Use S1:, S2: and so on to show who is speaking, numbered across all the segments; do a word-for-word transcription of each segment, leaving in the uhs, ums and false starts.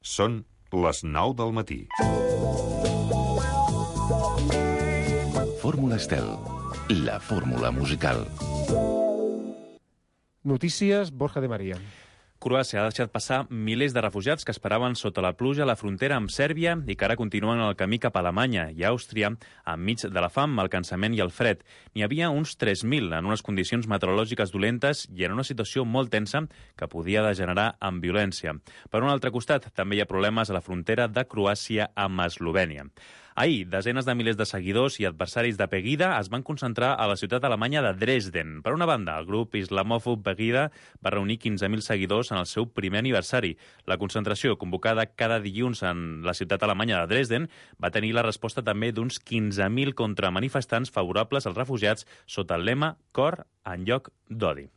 S1: Són les nou del matí.
S2: Fórmula Estel, la fórmula musical.
S3: Notícies, Borja de María.
S4: Croàcia ha deixat passar milers de refugiats que esperaven sota la pluja a la frontera amb Sèrbia i que ara continuen el camí cap a Alemanya i Àustria enmig de la fam, el cansament i el fred. N'hi havia uns tres mil en unes condicions meteorològiques dolentes i en una situació molt tensa que podia degenerar en violència. Per un altre costat, també hi ha problemes a la frontera de Croàcia amb Eslovènia. Ahir, desenes de milers de seguidors i adversaris de Pegida es van concentrar a la ciutat alemanya de Dresden. Per una banda, el grup islamòfob Pegida va reunir quinze mil seguidors en el seu primer aniversari. La concentració, convocada cada dilluns en la ciutat alemanya de Dresden, va tenir la resposta també d'uns quinze mil contramanifestants favorables als refugiats sota el lema Cor en lloc d'odi.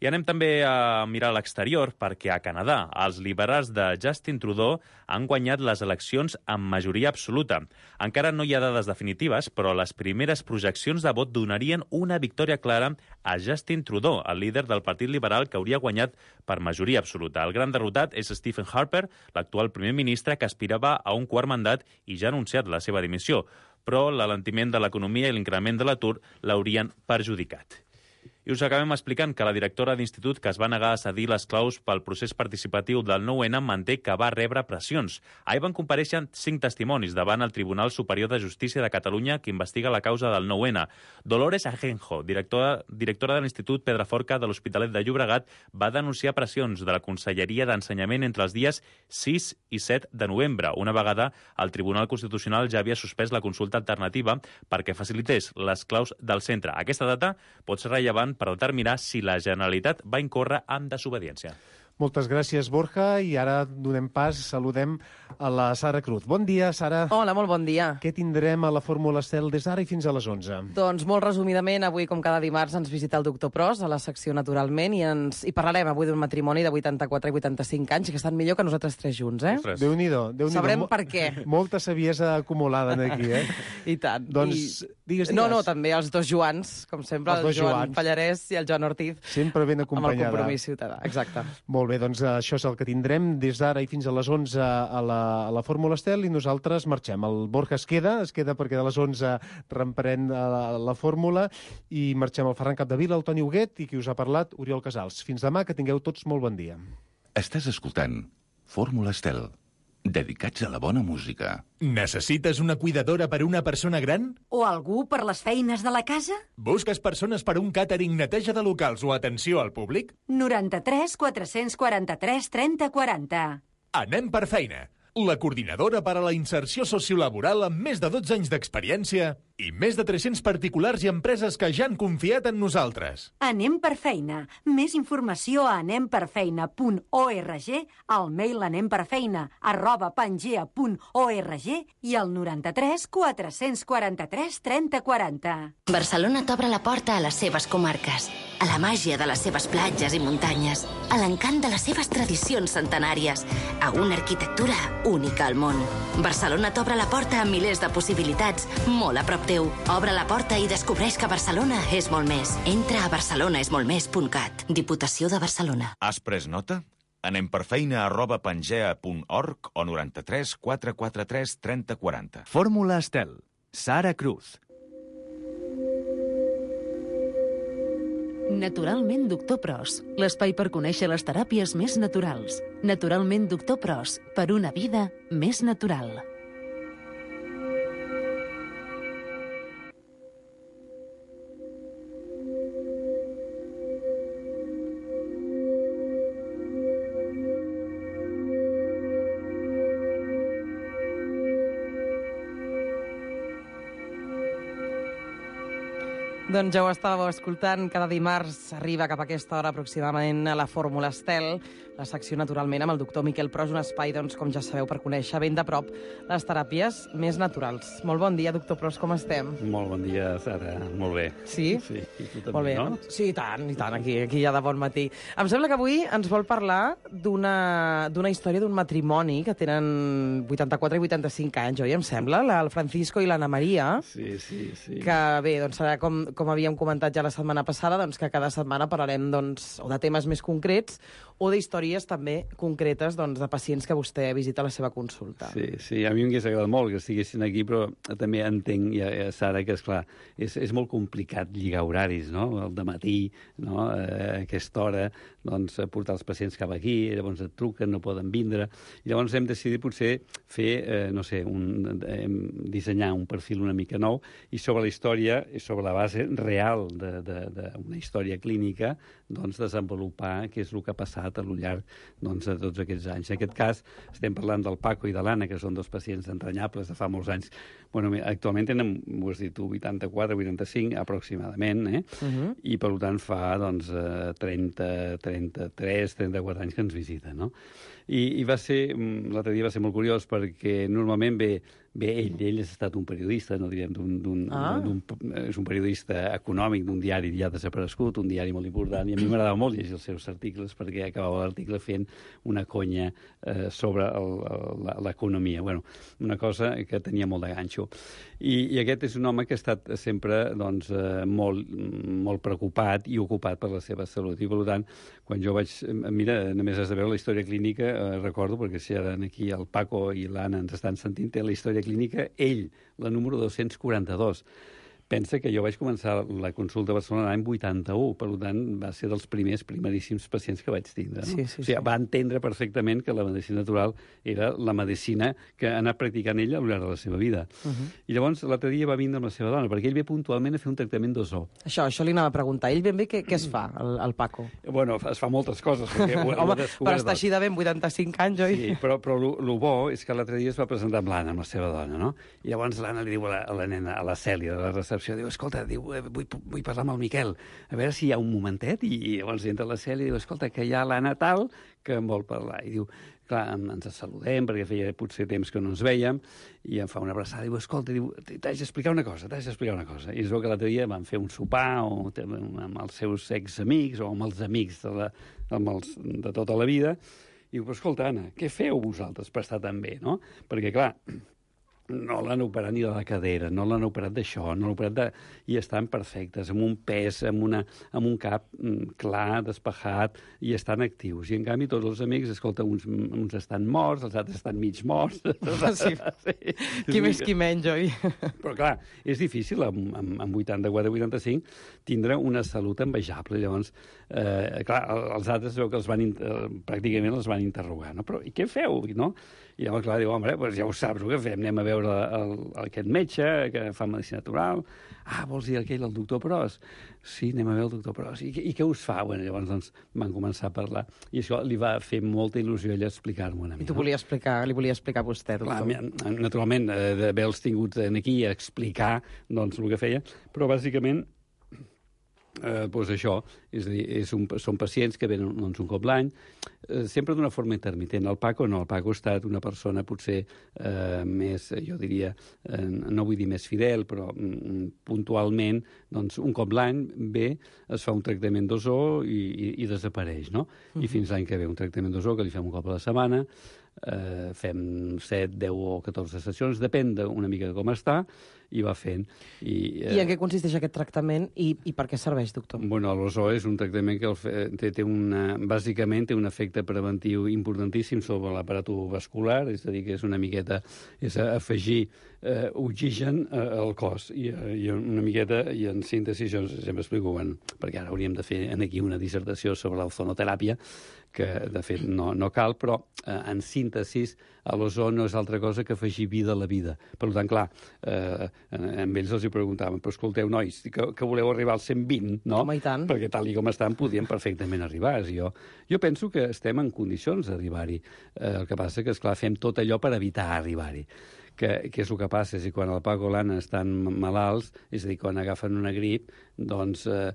S4: I anem també a mirar a l'exterior perquè a Canadà els liberals de Justin Trudeau han guanyat les eleccions amb majoria absoluta. Encara no hi ha dades definitives, però les primeres projeccions de vot donarien una victòria clara a Justin Trudeau, el líder del Partit Liberal que hauria guanyat per majoria absoluta. El gran derrotat és Stephen Harper, l'actual primer ministre que aspirava a un quart mandat i ja ha anunciat la seva dimissió, però l'alentiment de l'economia i l'increment de l'atur l'haurien perjudicat. I us acabem explicant que la directora d'institut que es va negar a cedir les claus pel procés participatiu del nou ene manté que va rebre pressions. Ahir van comparèixer cinc testimonis davant el Tribunal Superior de Justícia de Catalunya que investiga la causa del nou ene. Dolores Ajenjo, directora, directora de l'Institut Pedraforca de l'Hospitalet de Llobregat, va denunciar pressions de la Conselleria d'Ensenyament entre els dies sis i set de novembre. Una vegada el Tribunal Constitucional ja havia suspès la consulta alternativa perquè facilités les claus del centre. Aquesta data pot ser rellevant per determinar si la Generalitat va incórrer en desobediència.
S3: Moltes gràcies, Borja, i ara donem pas, saludem a la Sara Cruz. Bon dia, Sara.
S5: Hola, molt bon dia.
S3: Què tindrem a la Fórmula Estel des d'ara i fins a les onze?
S5: Doncs molt resumidament, avui, com cada dimarts, ens visita el doctor Pros a la secció Naturalment i ens i parlarem avui d'un matrimoni de vuitanta-quatre i vuitanta-cinc anys que estan millor que nosaltres tres junts, eh?
S4: Ostres.
S3: Déu-n'hi-do. Déu-n'hi-do.
S5: Sabrem per què.
S3: Molta saviesa acumulada aquí, eh?
S5: I tant.
S3: Doncs,
S5: I...
S3: digues, digues.
S5: No, no, també els dos Joans, com sempre,
S3: Els
S5: el
S3: dos
S5: Joan
S3: Joans.
S5: Pallarès i el Joan Ortiz.
S3: Sempre ben acompanyada.
S5: Amb el Compromís Ciutadà, exacte.
S3: Molt bé, doncs això és el que tindrem des d'ara i fins a les onze a la, a la Fórmula Estel i nosaltres marxem. El Borja es queda, es queda perquè de les onze reemprèn la, la fórmula i marxem al Ferran Capdevila, el Toni Huguet i qui us ha parlat, Oriol Casals. Fins demà, que tingueu tots molt bon dia.
S2: Estàs escoltant Fórmula Estel, dedicats a la bona música.
S6: Necessites una cuidadora per una persona gran?
S7: O algú per les feines de la casa?
S6: Busques persones per un càtering, neteja de locals o atenció al públic?
S7: noranta-tres quatre-cents quaranta-tres trenta quaranta.
S6: Anem per feina. La coordinadora per a la inserció sociolaboral amb més de dotze anys d'experiència i més de tres-cents particulars i empreses que ja han confiat en nosaltres.
S7: Anem per feina. Més informació a anem per feina punt org, al mail anemperfeina arroba pangea punt org i al noranta-tres quatre-cents quaranta-tres trenta quaranta.
S8: Barcelona t'obre la porta a les seves comarques, a la màgia de les seves platges i muntanyes, a l'encant de les seves tradicions centenàries, a una arquitectura única al món. Barcelona t'obre la porta a milers de possibilitats, molt a prop teu. Obre la porta i descobreix que Barcelona és molt més. Entra a barcelonaesmoltmés punt cat. Diputació de Barcelona.
S9: Has pres nota? Anem per feina arroba pangea punt org o noranta-tres quatre quaranta-tres trenta quaranta.
S10: Fórmula Estel. Sara Cruz.
S11: Naturalment Doctor Pros, l'espai per conèixer les teràpies més naturals. Naturalment Doctor Pros, per una vida més natural.
S5: Doncs ja ho estàveu escoltant, cada dimarts arriba cap a aquesta hora aproximadament a la Fórmula Estel, la secció Naturalment amb el doctor Miquel Pros, un espai, doncs, com ja sabeu, per conèixer ben de prop les teràpies més naturals. Molt bon dia, doctor Pros, com estem?
S12: Molt bon dia, Sara. Molt bé.
S5: Sí?
S12: Sí, i tu també,
S5: Molt bé,
S12: no?
S5: Sí, i tant, i tant, aquí, aquí ja de bon matí. Em sembla que avui ens vol parlar d'una d'una història d'un matrimoni que tenen vuitanta-quatre i vuitanta-cinc anys, oi, em sembla? La, el Francisco i l'Anna Maria.
S12: Sí, sí, sí.
S5: Que bé, doncs serà com, com havíem comentat ja la setmana passada, doncs que cada setmana parlarem doncs, o de temes més concrets o d'històries també concretes doncs, de pacients que vostè visita a la seva consulta.
S12: Sí, sí, a mi m'hagués agradat molt que estiguessin aquí, però també entenc, ja, ja, Sara, que, esclar, és, és molt complicat lligar horaris, no? El dematí, no? A aquesta hora, doncs, portar els pacients cap aquí, llavors et truquen, no poden vindre, i llavors hem decidit potser fer, eh, no sé, un, eh, dissenyar un perfil una mica nou, i sobre la història, i sobre la base real d'una història clínica, doncs, desenvolupar què és el que ha passat a lo llarg doncs, de tots aquests anys. En aquest cas, estem parlant del Paco i de l'Anna, que són dos pacients entranyables de fa molts anys. Bueno, actualment tenen, ho has dit tu, vuitanta-quatre, vuitanta-cinc aproximadament, eh? Uh-huh. I per tant fa doncs, trenta, trenta-tres, trenta-quatre anys que ens visiten, no? I, i va ser, l'altre dia va ser molt curiós perquè normalment ve, ve ell, ell ha estat un periodista, no direm, d'un, d'un, ah. d'un, és un periodista econòmic d'un diari ja desaparegut, un diari molt important, i a mi m'agradava molt llegir els seus articles perquè acabava l'article fent una conya eh, sobre el, el, l'economia. Bueno, una cosa que tenia molt de ganxo. I, i aquest és un home que ha estat sempre doncs, eh, molt, molt preocupat i ocupat per la seva salut. I per tant, quan jo vaig... Mira, només has de veure la història clínica, eh, recordo, perquè si ara aquí el Paco i l'Anna ens estan sentint, té la història clínica, ell, la número dos-cents quaranta-dos. Pensa que jo vaig començar la consulta a Barcelona l'any vuitanta-u, per tant, va ser dels primers, primeríssims pacients que vaig tindre. No?
S5: Sí, sí,
S12: o sigui,
S5: sí.
S12: Va entendre perfectament que la medicina natural era la medicina que ha anat practicant ella al llarg de la seva vida. Uh-huh. I llavors, l'altre dia va vindre amb la seva dona, perquè ell ve puntualment a fer un tractament d'ozó.
S5: Això, això li anava a preguntar. Ell ben bé què, què es fa, el, el Paco?
S12: Bueno, es fa moltes coses. Perquè ho,
S5: Home,
S12: ho
S5: per estar així de ben vuitanta-cinc anys, oi?
S12: Sí, però, però el bo és que l'altre dia es va presentar amb l'Anna, amb la seva dona, no? I llavors l'Anna li diu a la, a la nena, a la Cèlia, de la recepció, diu, escolta, diu, vull, vull parlar amb el Miquel, a veure si hi ha un momentet, i llavors entra la Cèlia i diu, escolta, que hi ha l'Anna tal que em vol parlar. I diu, clar, ens saludem, perquè feia potser temps que no ens veiem, i em fa una abraçada, i diu, escolta, diu, t'haig d'explicar una cosa, t'haig d'explicar una cosa. I es veu que l'altre dia van fer un sopar o, amb els seus examics o amb els amics de, la, amb els, de tota la vida, i diu, però escolta, Anna, què feu vosaltres per estar tan bé, no? Perquè, clar, no l'han operat ni de la cadera, no l'han operat d'això, no l'han operat de... i estan perfectes, amb un pes, amb, una, amb un cap mm, clar, despejat, i estan actius. I en canvi tots els amics, escolta, uns, uns estan morts, els altres estan mig morts.
S5: Sí. Sí. Qui més, qui menys, oi?
S12: Però clar, és difícil amb, amb, amb vuitanta-quatre vuitanta-cinc tindre una salut envejable. Llavors, eh, clar, els altres veu que els van, eh, pràcticament els van interrogar, no? Però i què feu, no? I llavors, clar, diu, home, doncs ja ho saps, el que fem, anem a veure el, el, aquest metge que fa medicina natural. Ah, vols dir aquell, el doctor Pros? Sí, anem a veure el doctor Pros. I, i què us fa? Bueno, llavors doncs, van començar a parlar. I això li va fer molta il·lusió ella explicar-m'ho una mica.
S5: I tu volia explicar, li volia explicar a vostè, doctor?
S12: Clar, naturalment, eh, d'haver-los tingut aquí a explicar doncs, el que feia, però bàsicament Eh, doncs això, és a dir, és un, són pacients que venen doncs, un cop l'any, eh, sempre d'una forma intermitent. El Paco no, el Paco ha estat una persona potser eh, més, jo diria, eh, no vull dir més fidel, però mm, puntualment, doncs un cop l'any ve, es fa un tractament d'ozó i, i, i desapareix, no? Uh-huh. I fins l'any que ve un tractament d'ozó que li fem un cop a la setmana, eh, fem set, deu o catorze sessions, depèn una mica de com està, i va fent. I, eh...
S5: I en què consisteix aquest tractament i, i per què serveix, doctor?
S12: Bueno, l'ozó és un tractament que el fe... té, té una... bàsicament té un efecte preventiu importantíssim sobre l'aparato vascular, és a dir, que és una miqueta és afegir eh, oxigen eh, al cos i, eh, i una miqueta, i en síntesi, jo sempre explico, bueno, perquè ara hauríem de fer aquí una dissertació sobre l'ozonoteràpia, que de fet no, no cal, però eh, en síntesi l'ozó no és altra cosa que afegir vida a la vida. Per tant, clar, eh, amb ells els hi preguntàvem, però escolteu, nois, que, que voleu arribar als cent vint, no?
S5: Home, i tant.
S12: Perquè tal i com estan podien perfectament arribar. Jo, jo penso que estem en condicions d'arribar-hi. Eh, el que passa que, esclar, fem tot allò per evitar arribar-hi. Que, que és el que passa, és que quan el Paco i l'Anna estan malalts, és a dir, quan agafen una grip, doncs eh,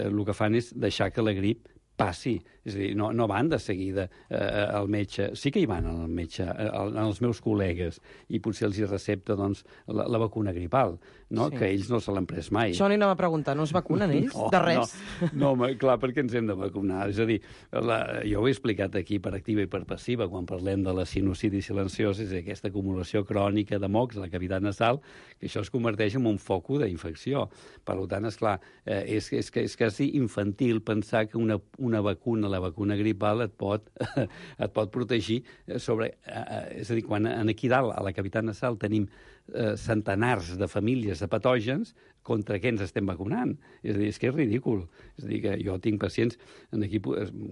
S12: el que fan és deixar que la grip passi, és a dir, no, no van de seguida eh, al metge, sí que hi van al metge, eh, als meus col·legues, i potser els hi recepta doncs, la, la vacuna gripal, no? Sí. Que ells no se l'han pres mai.
S5: Això n'hi anava a preguntar, no es vacunen ells?
S12: No,
S5: de res?
S12: No, no, home, clar, perquè ens hem de vacunar. És a dir, la, jo ho he explicat aquí per activa i per passiva, quan parlem de la sinusitis silenciosa, és aquesta acumulació crònica de mocs a la cavitat nasal, que això es converteix en un foco d'infecció. Per tant, esclar, eh, és, és, és quasi infantil pensar que una, una vacuna la vacuna gripal et pot, et pot protegir sobre... Eh, és a dir, quan aquí dalt, a la cavitat nasal, tenim eh, centenars de famílies de patògens, contra què ens estem vacunant? És a dir, és que és ridícul. És a dir, que jo tinc pacients, en aquí,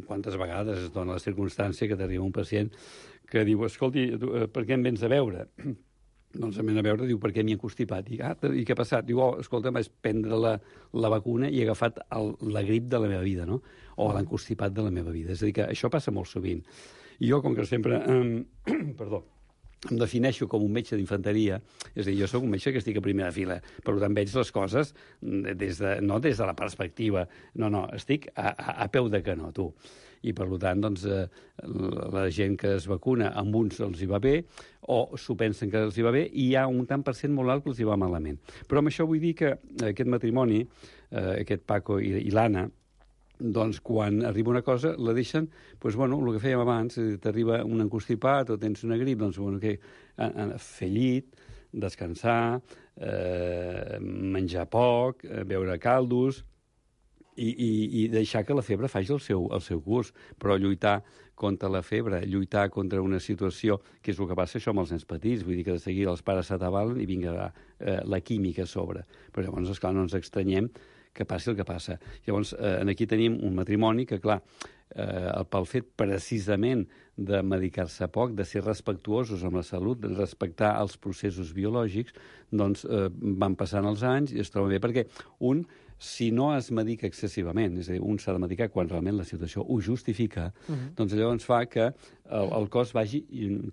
S12: quantes vegades es dona la circumstància que t'arriba un pacient que diu, escolti, per què em vens a veure? Doncs em ven a veure, diu, per què m'hi he constipat? I, ah, i què ha passat? Diu, oh, escolta, vaig prendre la, la vacuna i he agafat el, la grip de la meva vida, no? O l'encostipat de la meva vida. És a dir, que això passa molt sovint. I jo, com que sempre... Eh, perdó, em defineixo com un metge d'infanteria, és a dir, jo sóc un metge que estic a primera fila, per tant veig les coses des de, no des de la perspectiva, no, no, estic a, a, a peu de canó, tu. I per tant, doncs, eh, la gent que es vacuna, amb uns els hi va bé, o s'ho pensen que els hi va bé, i hi ha un tant per cent molt alt que els hi va malament. Però amb això vull dir que aquest matrimoni, eh, aquest Paco i, i l'Anna, doncs quan arriba una cosa la deixen, doncs bueno, el que fèiem abans, t'arriba un encostipat o tens una grip, doncs bueno, que, a, a, fer llit, descansar, eh, menjar poc, eh, beure caldos i, i, i deixar que la febre faci el seu, el seu curs, però lluitar contra la febre, lluitar contra una situació, que és el que passa això amb els nens petits, vull dir que de seguida els pares s'atabalen i vinga eh, la química a sobre. Però llavors, esclar, no ens extranyem que passi el que passa. Llavors, eh, aquí tenim un matrimoni que, clar, eh, pel fet precisament de medicar-se poc, de ser respectuosos amb la salut, de respectar els processos biològics, doncs eh, van passant els anys i es troba bé, perquè un, si no es medica excessivament, és a dir, un s'ha de medicar quan realment la situació ho justifica, uh-huh. doncs llavors fa que el, el cos vagi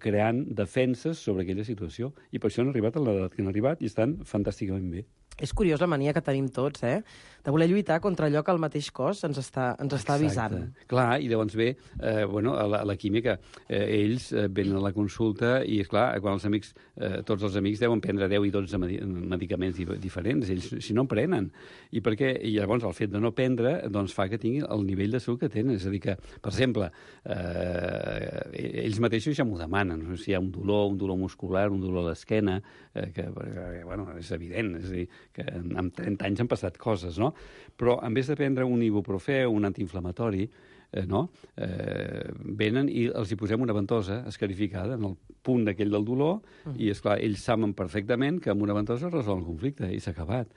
S12: creant defenses sobre aquella situació. I per això han arribat a l'edat que han arribat i estan fantàsticament bé.
S5: És curiós la mania que tenim tots, eh? De voler lluitar contra allò que el mateix cos ens està, ens està avisant.
S12: Exacte. Clar, i llavors ve eh, bueno, a, la, a la química. Eh, ells eh, venen a la consulta i, esclar, quan els amics, eh, tots els amics deuen prendre deu i dotze medi medicaments diferents. Ells, si no en prenen. I, perquè, I llavors el fet de no prendre doncs, fa que tinguin el nivell de salut que tenen. És a dir que, per exemple, eh, ells mateixos ja m'ho demanen. No? Si hi ha un dolor, un dolor muscular, un dolor a l'esquena, eh, que, eh, bueno, és evident. És a dir, que amb trenta anys han passat coses, no? Però en vez de prendre un ibuprofè o un antiinflamatori, eh, no? eh, venen i els hi posem una ventosa escarificada en el punt d'aquell del dolor uh -huh. i, esclar, ells saben perfectament que amb una ventosa resol el conflicte i s'ha acabat.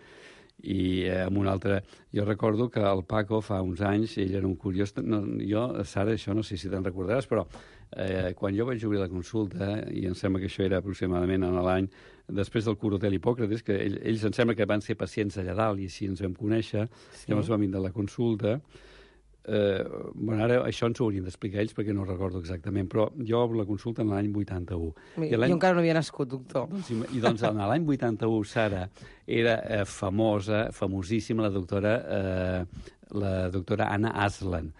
S12: I eh, amb un altre... Jo recordo que el Paco fa uns anys, ell era un curiós... No, jo, Sara, això no sé si te'n recordaràs, però eh, quan jo vaig obrir la consulta, i em sembla que això era aproximadament en l'any després del cur Hotel Hipòcrates, que ell, ells em sembla que van ser pacients allà dalt i així ens vam conèixer, sí. Llavors vam vindre a la consulta. Eh, bueno, ara això ens ho haurien d'explicar ells perquè no ho recordo exactament, però jo obro la consulta en l'any vuitanta-u.
S5: I jo encara no havia nascut, doctor.
S12: Doncs, I doncs en l'any vuitanta-u, Sara, era eh, famosa, famosíssima la doctora, eh, la doctora Anna Aslan,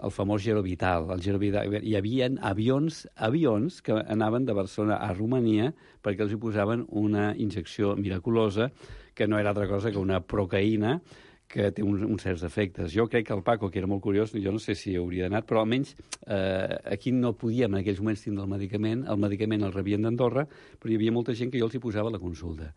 S12: el famós Gerovital. El Gerovital. Hi havia avions, avions que anaven de Barcelona a Romania perquè els hi posaven una injecció miraculosa que no era altra cosa que una procaïna que té uns, uns certs efectes. Jo crec que el Paco, que era molt curiós, jo no sé si hauria anat, però almenys eh, aquí no podíem en aquells moments tindre el medicament, el medicament el rebien d'Andorra, però hi havia molta gent que jo els hi posava la consulta.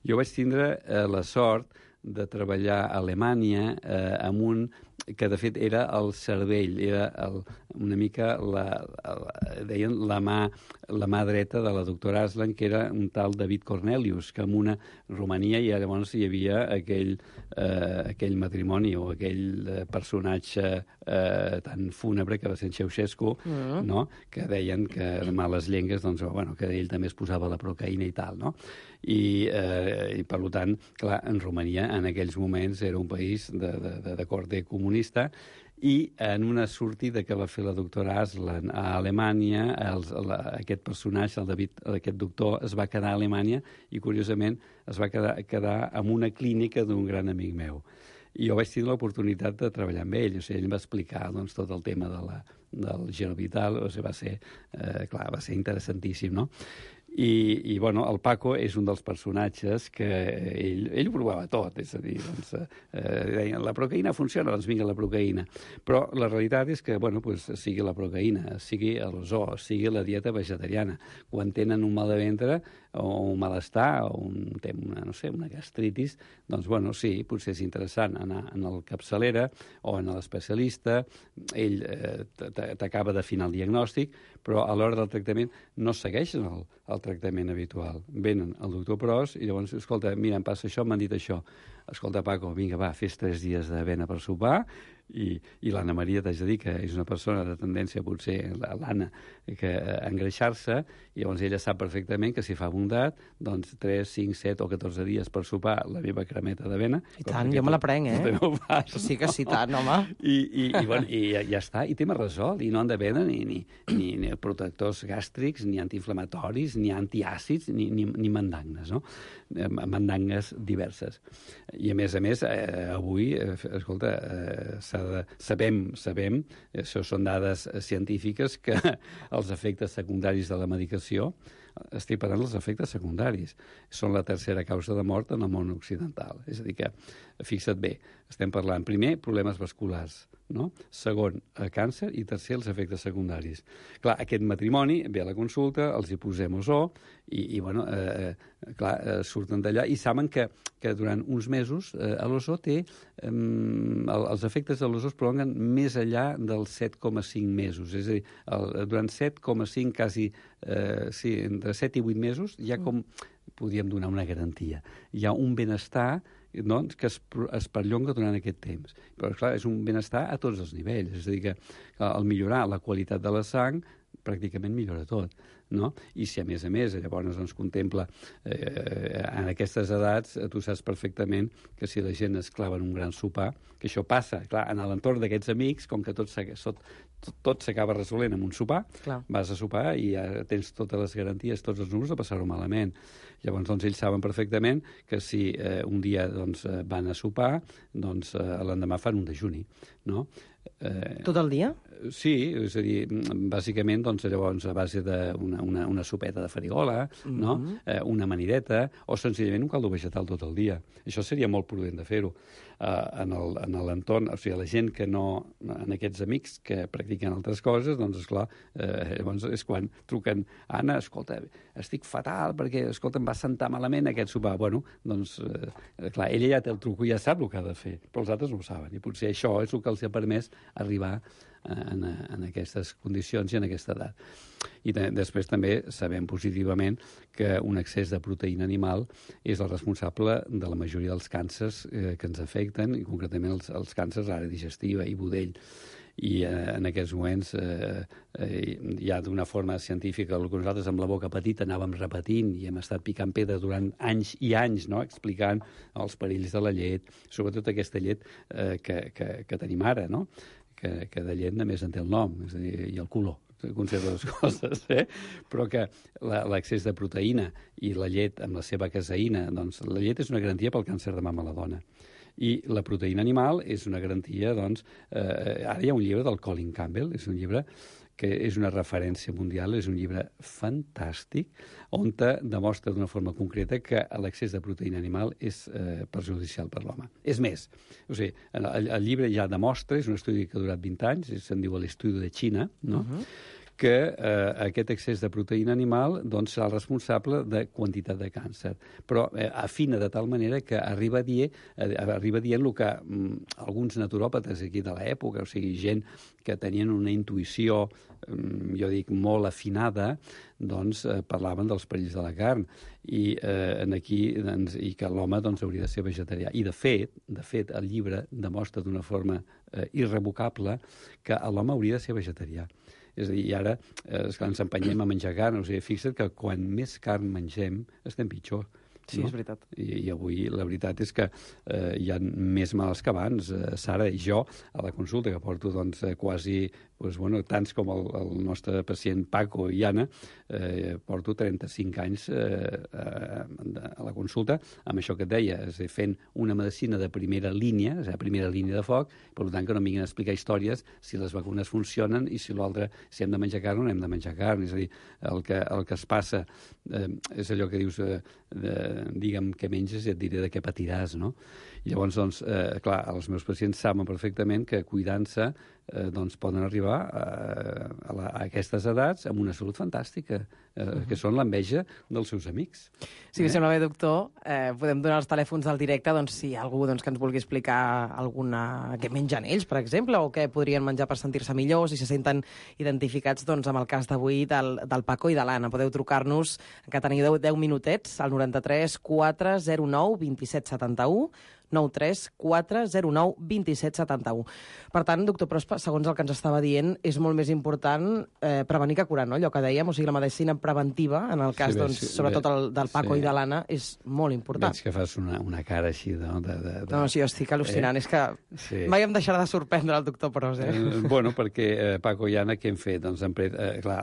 S12: Jo vaig tindre eh, la sort de treballar a Alemanya eh, amb un que de fet era el cervell, era el, una mica la, la, deien la mà, la mà dreta de la doctora Aslan, que era un tal David Cornelius, que en una Romania i llavors hi havia aquell, eh, aquell matrimoni o aquell eh, personatge eh, tan fúnebre que va ser en Ceausescu, mm. no? Que deien que de males llengües, doncs, bueno, que ell també es posava la procaïna i tal, no? I, eh, i per tant, clar, en Romania en aquells moments era un país de, de, de, de corte comunista i en una sortida que va fer la doctora Aslan a Alemanya, els, la, aquest personatge, el David, aquest doctor, es va quedar a Alemanya i, curiosament, es va quedar, quedar en una clínica d'un gran amic meu. I jo vaig tenir l'oportunitat de treballar amb ell. O sigui, ell em va explicar doncs, tot el tema de la, del Gerovital. O sigui, va ser, eh, clar, va ser interessantíssim, no? I, i bueno, el Paco és un dels personatges que ell, ell ho provava tot, és a dir, doncs, eh, deien, la procaïna funciona, doncs vinga la procaïna. Però la realitat és que, bueno, pues, sigui la procaïna, sigui l'ozó, sigui la dieta vegetariana, quan tenen un mal de ventre o un malestar o un, una, no sé, una gastritis, doncs, bueno, sí, potser és interessant anar en el capçalera o en l'especialista, ell eh, t'acaba d'afinar el diagnòstic, però a l'hora del tractament no segueixen el, el tractament habitual. Venen al doctor Pros i llavors, escolta, mira, em passa això, m'han dit això. Escolta, Paco, vinga, va, fes tres dies d'avena per sopar, i, i l'Anna Maria, t'haig de dir que és una persona de tendència, potser, l'Anna, que a engreixar-se, i llavors ella sap perfectament que si fa bondat, doncs tres, cinc, set o catorze dies per sopar la meva cremeta d'avena...
S5: I tant, jo me la prenc, eh?
S12: No fas,
S5: sí que sí, tant, home.
S12: I, i, i, bueno, i ja, ja està, i tema resolt, i no han de prendre ni, ni, ni, ni protectors gàstrics, ni antiinflamatoris, ni antiàcids, ni, ni, ni mandangnes, no? Mandangues diverses. I a més a més, eh, avui, eh, escolta, eh, de, sabem, sabem, això són dades científiques, que els efectes secundaris de la medicació, estic parlant dels efectes secundaris, són la tercera causa de mort en el món occidental. És a dir que, fixa't bé, estem parlant, primer, problemes vasculars, no? Segon, càncer, i tercer, els efectes secundaris. Clar, aquest matrimoni ve a la consulta, els hi posem ozó, i, i bueno, eh, clar, eh, surten d'allà i saben que, que durant uns mesos eh, l'ozó té, eh, els efectes de l'ozó es prolonguen més enllà dels set coma cinc mesos. És a dir, el, durant set coma cinc, quasi, eh, sí, entre set i vuit mesos, ja com podríem donar una garantia. Hi ha un benestar, doncs, que es, es perllonga durant aquest temps. Però, clar, és un benestar a tots els nivells. És a dir, que al millorar la qualitat de la sang, pràcticament millora tot, no? I si, a més a més, llavors ens contempla eh, en aquestes edats, tu saps perfectament que si la gent es clava en un gran sopar, que això passa, clar, en l'entorn d'aquests amics, com que tot tot s'acaba resolent en un sopar, clar, vas a sopar i ja tens totes les garanties, tots els números de passar-ho malament. Llavors, doncs, ells saben perfectament que si eh, un dia doncs, van a sopar, doncs eh, l'endemà fan un dejuni, no?
S5: Eh, Tot el dia?
S12: Sí, és a dir, bàsicament, doncs, llavors, a base d'una una, una sopeta de farigola, mm-hmm, no? eh, una amanideta, o senzillament un caldo vegetal tot el dia. Això seria molt prudent de fer-ho. Uh, en l'entorn, o sigui, la gent que no, en aquests amics que practiquen altres coses, doncs, esclar, eh, llavors és quan truquen, Anna, escolta, estic fatal perquè, escolta, em va sentar malament aquest sopar. Bueno, doncs, eh, clar, ella ja té el truco i ja sap el que ha de fer, però els altres no ho saben, i potser això és el que els ha permès arribar en, en aquestes condicions i en aquesta edat. I després també sabem positivament que un excés de proteïna animal és el responsable de la majoria dels càncers eh, que ens afecten, i concretament els, els càncers d'àrea digestiva i budell. I eh, en aquests moments eh, eh, ja d'una forma científica, el que nosaltres amb la boca petita anàvem repetint i hem estat picant pedra durant anys i anys, no?, explicant els perills de la llet, sobretot aquesta llet eh, que, que, que tenim ara, no?, que, que de llet només en té el nom, és a dir, i el color, conserva les coses, eh? Però que l'excés de proteïna i la llet amb la seva caseïna, doncs la llet és una garantia pel càncer de mama a la dona. I la proteïna animal és una garantia, doncs, eh, ara hi ha un llibre del Colin Campbell, és un llibre que és una referència mundial, és un llibre fantàstic, on demostra d'una forma concreta que l'excés de proteïna animal és eh, perjudicial per l'home. És més, o sigui, el, el llibre ja demostra, és un estudi que ha durat vint anys, se'n diu l'estudi de Xina, no?, uh-huh, que eh, aquest excés de proteïna animal doncs, serà el responsable de quantitat de càncer. Però eh, afina de tal manera que arriba, die, eh, arriba dient el que mm, alguns naturòpates aquí de l'època, o sigui, gent que tenien una intuïció, mm, jo dic, molt afinada, doncs eh, parlaven dels perills de la carn i, eh, aquí, doncs, i que l'home doncs, hauria de ser vegetarià. I, de fet, de fet el llibre demostra d'una forma eh, irrevocable que l'home hauria de ser vegetarià. És a dir, i ara eh, ens empenyem a menjar carn. O sigui, fixa't que quan més carn mengem, estem pitjor.
S5: Sí, no? És veritat.
S12: I, I avui la veritat és que eh, hi ha més mals que abans. Eh, Sara i jo, a la consulta, que porto doncs, quasi doncs, bueno, tants com el, el nostre pacient Paco i Anna, eh, porto trenta-cinc anys eh, a, a la consulta amb això que et deia, és a dir, fent una medicina de primera línia, és a dir, primera línia de foc, per tant que no em vinguin a explicar històries si les vacunes funcionen i si l'altre, si hem de menjar carn o no hem de menjar carn. És a dir, el que, el que es passa eh, és allò que dius, eh, de, digue'm què menges i et diré de què patiràs, no? I llavors, doncs, eh, clar, els meus pacients saben perfectament que cuidant-se eh, doncs poden arribar a, a, la, a aquestes edats amb una salut fantàstica, eh, uh-huh. que són l'enveja dels seus amics.
S5: Si eh? us sembla bé, doctor, eh, podem donar els telèfons del directe doncs, si hi ha algú doncs, que ens vulgui explicar alguna... què mengen ells, per exemple, o què podrien menjar per sentir-se millor, si se senten identificats doncs, amb el cas d'avui del, del Paco i de l'Anna. Podeu trucar-nos, que teniu deu minutets, al noranta-tres quatre zero nou vint set setanta-u, nou tres quatre zero nou vint set setanta-u. Per tant, doctor Pros, segons el que ens estava dient, és molt més important eh, prevenir que curar, no? Allò que dèiem, o sigui, la medicina preventiva, en el cas, sí, doncs, sí, sobretot el, del Paco sí. i de l'Anna, és molt important.
S12: Veig que fas una, una cara així, no? De, de, de...
S5: No, sí, jo estic al·lucinant. Eh? És que sí. mai em deixarà de sorprendre el doctor Pros, eh?
S12: eh bueno, perquè eh, Paco i Anna, què hem fet? Doncs, hem pres, eh, clar,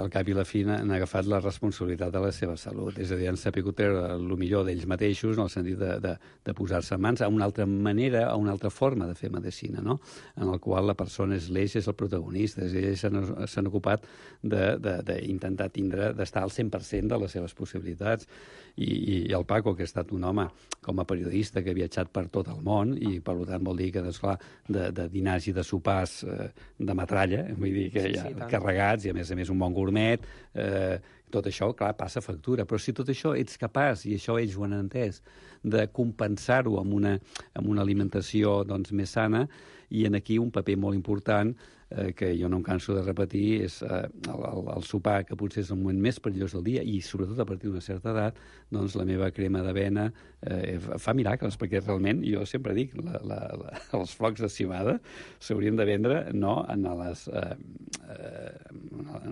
S12: al cap i la fi han agafat la responsabilitat de la seva salut. És a dir, han sabut treure el millor d'ells mateixos, en el sentit de, de, de posar-se en mans a una altra manera, a una altra forma de fer medicina, no? En el qual la persona és l'eix, és el protagonista. És a dir, ells s'han ocupat d'intentar tindre, d'estar al cent per cent de les seves possibilitats. I, i, i el Paco, que ha estat un home com a periodista que ha viatjat per tot el món i, per tant, vol dir que, doncs, clar, de, de dinars i de sopars eh, de metralla, vull dir que ja sí, sí, carregats, i a més a més un bon gourmet, eh, tot això, clar, passa factura. Però si tot això ets capaç, i això ells ho han entès, de compensar-ho amb una, amb una alimentació doncs, més sana, i en aquí un paper molt important eh, que jo no em canso de repetir és eh, el, el, el sopar, que potser és el moment més perillós del dia, i sobretot a partir d'una certa edat, doncs la meva crema d'avena eh, fa miracles, perquè realment, jo sempre dic, la, la, la, els flocs de civada s'haurien de vendre no en les... Eh, eh,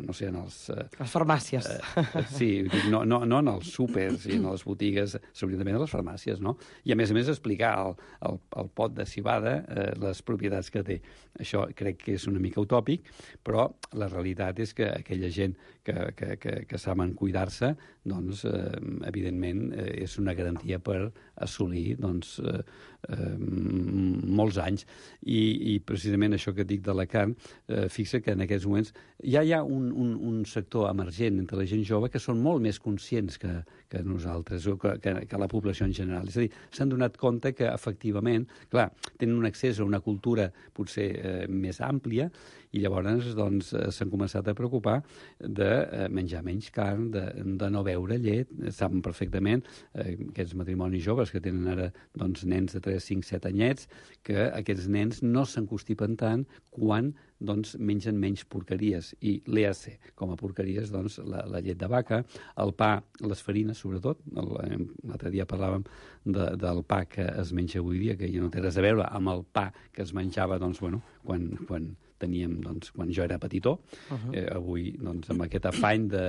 S12: no sé, en els... Eh,
S5: les farmàcies.
S12: Eh, sí, no, no, no en els súpers i en les botigues, s'haurien de vendre a les farmàcies, no? I a més a més explicar el, el, el pot de civada, eh, les propietats que té. Això crec que és una mica utòpic, però la realitat és que aquella gent que, que, que, que saben cuidar-se, doncs, eh, evidentment, eh, és una garantia per assolir, doncs, eh, eh, molts anys. I, I precisament això que dic de la carn, eh, fixa que en aquests moments ja hi ha un, un, un sector emergent entre la gent jove que són molt més conscients que, que nosaltres, o que, que, que la població en general. És a dir, s'han donat compte que, efectivament, clar, tenen un accés a una cultura potser eh, més àmplia, i llavors doncs, s'han començat a preocupar de eh, menjar menys carn, de, de no beure llet. Saben perfectament eh, aquests matrimonis joves que tenen ara doncs, nens de tres, cinc, set anyets, que aquests nens no s'encostipen tant quan doncs, mengen menys porqueries. I l'E A C, com a porqueries, doncs, la, la llet de vaca, el pa, les farines, sobretot. L'altre dia parlàvem de, del pa que es menja avui dia, que ja no té res a veure amb el pa que es menjava doncs, bueno, quan, quan teníem, doncs, quan jo era petitó. Uh-huh. eh, avui, doncs, amb aquest afany de,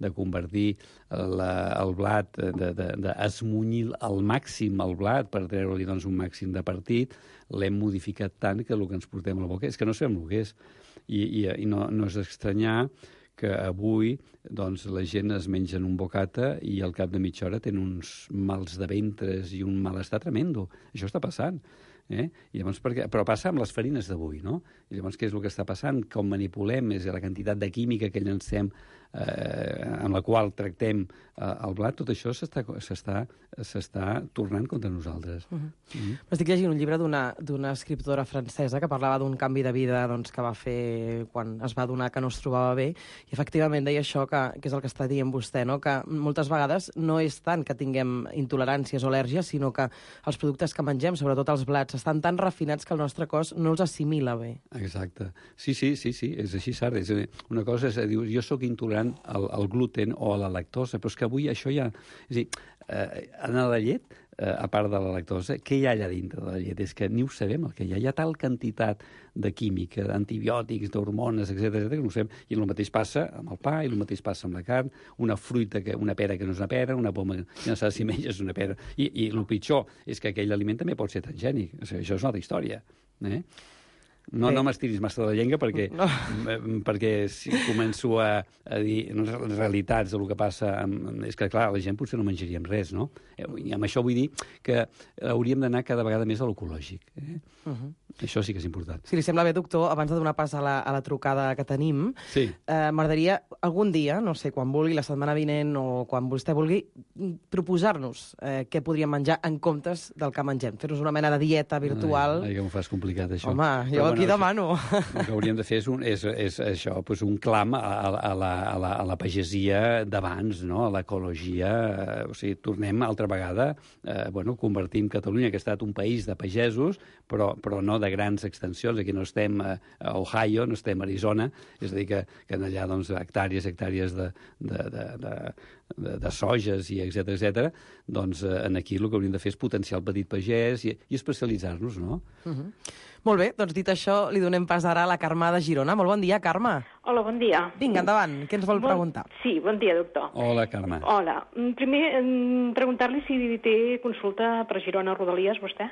S12: de convertir la, el blat, d'esmunyir de, de al màxim el blat per treure-li doncs, un màxim de partit, l'hem modificat tant que el que ens portem a la boca és que no sabem el que és. I, i, i no, no és estranyar que avui doncs, la gent es mengen un bocata i al cap de mitja hora tenen uns mals de ventres i un malestar tremendo. Això està passant. Eh? I llavors, perquè, però passa amb les farines d'avui, no? I llavors què és el que està passant? Com manipulem, és la quantitat de química que llancem, eh, amb la qual tractem eh, el blat, tot això s'està tornant contra nosaltres.
S5: Uh-huh. Mm-hmm. Estic llegint un llibre d'una escriptora francesa que parlava d'un canvi de vida doncs, que va fer quan es va adonar que no es trobava bé, i efectivament deia això, que, que és el que està dient vostè, no? Que moltes vegades no és tant que tinguem intoleràncies o al·lèrgies, sinó que els productes que mengem, sobretot els blats, estan tan refinats que el nostre cos no els assimila bé.
S12: Exacte. Sí, sí, sí, sí, és així, Sara. És dir, una cosa és dir, jo sóc intolerant al, al gluten o a la lactosa, però és que avui això ja... És a dir, eh, en la llet, eh, a part de la lactosa, què hi ha allà dintre de la llet? És que ni ho sabem el que hi ha. Hi ha tal quantitat de química, d'antibiòtics, d'hormones, etcètera, que no ho sabem. I el mateix passa amb el pa, i el mateix passa amb la carn, una fruita, que, una pera que no és una pera, una poma que no saps si menges una pera. I, i el pitjor és que aquell aliment també pot ser transgènic. O sigui, això és una altra història. Eh? No, no m'estiris massa de la llengua perquè,
S5: No.
S12: perquè si començo a, a dir realitats del que passa, amb, és que, clar, la gent potser no menjaríem res, no? I amb això vull dir que hauríem d'anar cada vegada més a l'ecològic. Eh?
S5: Uh -huh.
S12: Això sí que és important.
S5: Si li sembla bé, doctor, abans de donar pas a la, a la trucada que tenim,
S12: sí.
S5: eh, m'agradaria algun dia, no sé, quan vulgui, la setmana vinent o quan vostè vulgui, proposar-nos eh, què podríem menjar en comptes del que mengem. Fer-nos una mena de dieta virtual.
S12: Ai, ai, que m'ho fas complicat, això.
S5: Home, jo aquí demano.
S12: El que hauríem de fer és, un, és, és això, pues un clam a, a, a, la, a, la, a la pagesia d'abans, no? A l'ecologia. Eh, o sigui, tornem altra vegada, eh, bueno, convertim Catalunya, que ha estat un país de pagesos, però, però no de grans extensions. Aquí no estem a, a Ohio, no estem a Arizona, és a dir, que, que allà doncs, hectàrees, hectàrees de, de, de, de, de, de sojes i etcètera etcètera, doncs eh, aquí el que hauríem de fer és potenciar el petit pagès i, i especialitzar-nos, no?
S5: Uh -huh. Molt bé, doncs dit això, li donem pas ara a la Carme de Girona. Molt bon dia, Carme.
S13: Hola, bon dia.
S5: Vinga, endavant. Què ens vol
S13: bon...
S5: preguntar?
S13: Sí, bon dia, doctor.
S12: Hola, Carme.
S13: Hola. Primer, preguntar-li si té consulta per Girona Rodalies, vostè?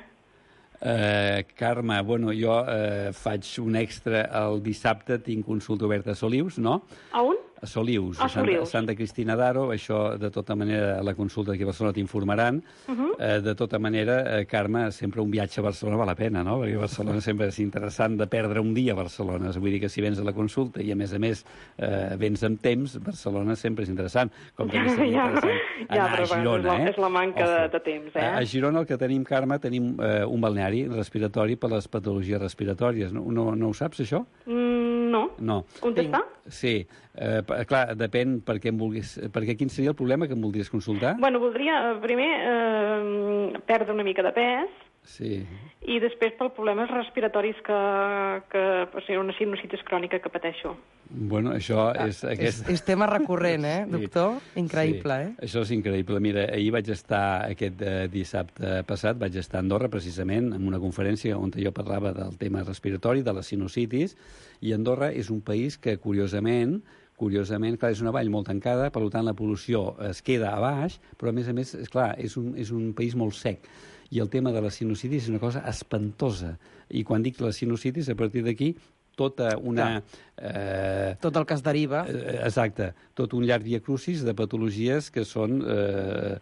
S12: Uh, Carme, bueno, jo uh, faig un extra el dissabte, tinc consulta oberta a Solius, no?
S13: A on?
S12: A Solius,
S13: a,
S12: a Santa,
S13: Solius.
S12: Santa Cristina d'Aro. Això, de tota manera, a la consulta aquí a Barcelona t'informaran. Uh -huh. uh, de tota manera, uh, Carme, sempre un viatge a Barcelona val la pena, no? Perquè a Barcelona sempre és interessant de perdre un dia a Barcelona. Vull dir que si vens a la consulta i, a més a més, uh, vens amb temps, Barcelona sempre és interessant. Com també seria
S13: ja,
S12: interessant
S13: ja,
S12: anar
S13: però,
S12: a Girona,
S13: és la,
S12: eh?
S13: És la manca de, de temps, eh?
S12: A Girona el que tenim, Carme, tenim uh, un balneari respiratori per les patologies respiratòries. No, no, no ho saps, això?
S13: Mm, no.
S12: No.
S13: On està?
S12: Sí. Eh, clar, depèn per què em vulguis... Perquè quin seria el problema que em voldries consultar?
S13: Bueno, voldria, primer, eh, perdre una mica de pes.
S12: Sí.
S13: I després per problemes respiratoris que... que o sigui, una sinusitis crònica que pateixo.
S12: Bueno, això és... Aquest...
S5: És, és tema recurrent, eh, doctor?
S12: Sí.
S5: Increïble,
S12: sí.
S5: eh?
S12: Això és increïble. Mira, ahir vaig estar, aquest eh, dissabte passat, vaig estar a Andorra, precisament, en una conferència on jo parlava del tema respiratori, de la sinusitis, i Andorra és un país que, curiosament, curiosament, clar, és una vall molt tancada, per tant la pol·lució es queda a baix, però a més a més, és clar, és un, és un país molt sec. I el tema de la sinusitis és una cosa espantosa. I quan dic la sinusitis, a partir d'aquí, tota una...
S5: Eh, tot el que es deriva.
S12: Eh, exacte. Tot un llarg viacrucis de patologies que són eh,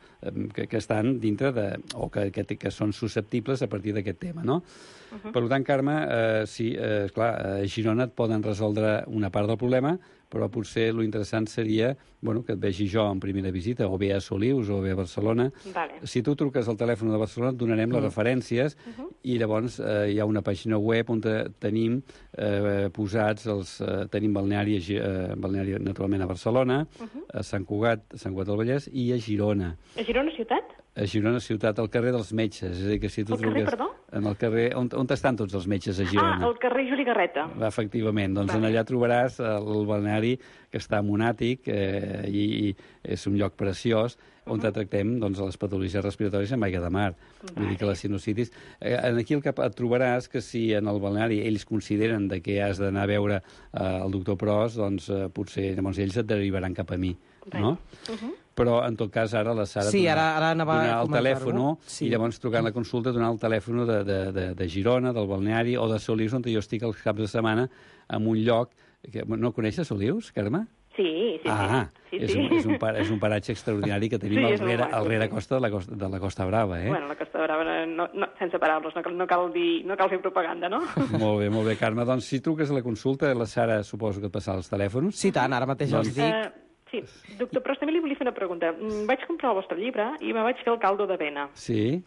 S12: que, que estan dintre de... o que, que, que són susceptibles a partir d'aquest tema, no? Uh -huh. Per tant, Carme, eh, sí, eh, clar, a Girona et poden resoldre una part del problema, però potser lo interessant seria, bueno, que et vegi jo en primera visita, o bé a Solius o bé a Barcelona.
S13: Vale.
S12: Si tu truques al telèfon de Barcelona et donarem mm. les referències uh -huh. i llavors eh, hi ha una pàgina web on tenim eh, posats els... Eh, tenim balneari, eh, balneari naturalment a Barcelona, uh -huh. a Sant Cugat, a Sant Cugat del Vallès i a Girona.
S13: A Girona ciutat?
S12: A Girona ciutat, al carrer dels metges. És a dir, que si tu
S13: el carrer,
S12: truques...
S13: perdó?
S12: En el carrer... On, on estan tots els metges a Girona?
S13: Ah, al carrer Juli Garreta.
S12: Efectivament. Doncs vale. Allà trobaràs el balneari que està a Monàtic eh, i, i és un lloc preciós on uh -huh. tractem doncs, les patologies respiratòries amb aigua de mar. Vale. Vull dir que la sinusitis... Eh, aquí el que et trobaràs que si en el balneari ells consideren de que has d'anar a veure eh, el doctor Pros, doncs eh, potser llavors ells et derivaran cap a mi. Vale. No? Uh -huh. Però, en tot cas, ara la Sara
S5: sí,
S12: donar,
S5: ara, ara anava
S12: donar
S5: a
S12: el telèfon
S5: sí.
S12: i llavors trucant la consulta donar el telèfon de, de, de, de Girona, del balneari o de Solius, on jo estic els caps de setmana en un lloc... Que, no coneixes Solius, Carme?
S13: Sí, sí,
S12: ah,
S13: sí.
S12: És,
S13: sí.
S12: Un, és, un, és un paratge extraordinari que tenim
S13: sí,
S12: al rere,
S13: maco,
S12: al rere
S13: sí.
S12: costa de la costa, de la Costa Brava, eh?
S13: Bueno, la Costa Brava, no, no, sense paraules, no cal, no, cal dir, no cal fer propaganda, no?
S12: Molt bé, molt bé, Carme. Doncs si truques a la consulta, la Sara suposo que et passarà els telèfons.
S5: Sí, tant, ara mateix doncs... els dic. Uh,
S13: sí, doctor, però també li volia fer una pregunta. Vaig comprar el vostre llibre i me vaig fer el caldo d'avena.
S12: Sí.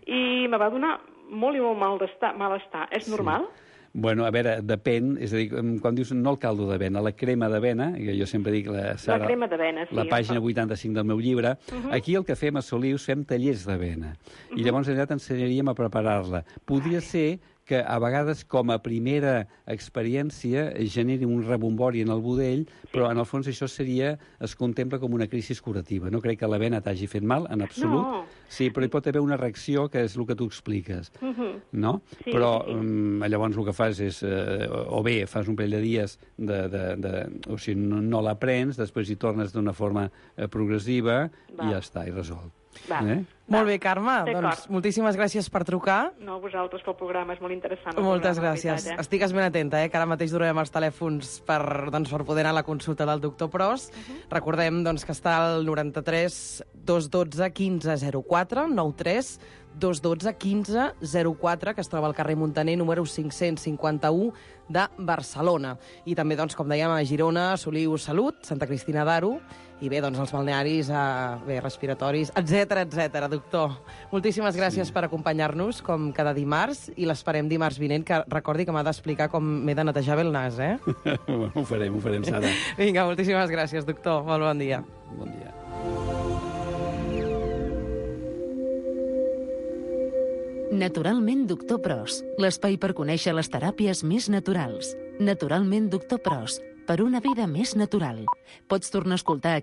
S13: I me va donar molt i molt malestar. malestar. És normal?
S12: Sí. Bueno, a veure, depèn, és a dir, quan dius no el caldo d'avena, la crema d'avena, que jo sempre dic la Sara...
S13: La crema d'avena, sí.
S12: La pàgina vuitanta-cinc del meu llibre, uh -huh. aquí el que fem a Solius fem tallers d'avena. Uh -huh. I llavors allà t'ensenyaríem a preparar-la. Podria ser que a vegades com a primera experiència generi un rebombori en el budell, sí. però en el fons això seria, es contempla com una crisi curativa. No crec que l'avena t'hagi fet mal, en absolut.
S13: No.
S12: Sí, però hi pot haver una reacció que és el que tu expliques, uh -huh. no?
S13: Sí,
S12: però
S13: sí.
S12: Um, llavors el que fas és, eh, o bé fas un parell de dies, de, de, de, o sigui, no, no la prens, després hi tornes d'una forma eh, progressiva Va. i ja està, i resolt.
S13: Va. Eh?
S5: Molt bé, Carme,
S13: D'acord.
S5: doncs moltíssimes gràcies per trucar.
S13: No, vosaltres pel programa, és molt interessant. el
S5: Moltes
S13: programa,
S5: gràcies.
S13: la veritat, eh?
S5: Estigues ben atenta, eh, que ara mateix donarem els telèfons per, doncs, per poder anar a la consulta del doctor Pros. Uh -huh. Recordem doncs, que està al noranta-tres dos un dos quinze zero quatre, nou tres dos un dos quinze zero quatre, que es troba al carrer Muntaner, número cinc-cents cinquanta-u de Barcelona. I també, doncs, com dèiem, a Girona, Soliu Salut, Santa Cristina d'Aro, i bé, doncs, els balnearis, eh, bé, respiratoris, etcètera, etcètera, doctor. Moltíssimes gràcies sí. per acompanyar-nos, com cada dimarts, i l'esperem dimarts vinent, que recordi que m'ha d'explicar com m'he de netejar bé el nas, eh?
S12: Ho farem, ho farem, Sara.
S5: Vinga, moltíssimes gràcies, doctor. Molt bon dia.
S12: Bon dia.
S11: Naturalment Doctor Pros, l'espai per conèixer les teràpies més naturals. Naturalment Doctor Pros, per una vida més natural. Pots tornar a escoltar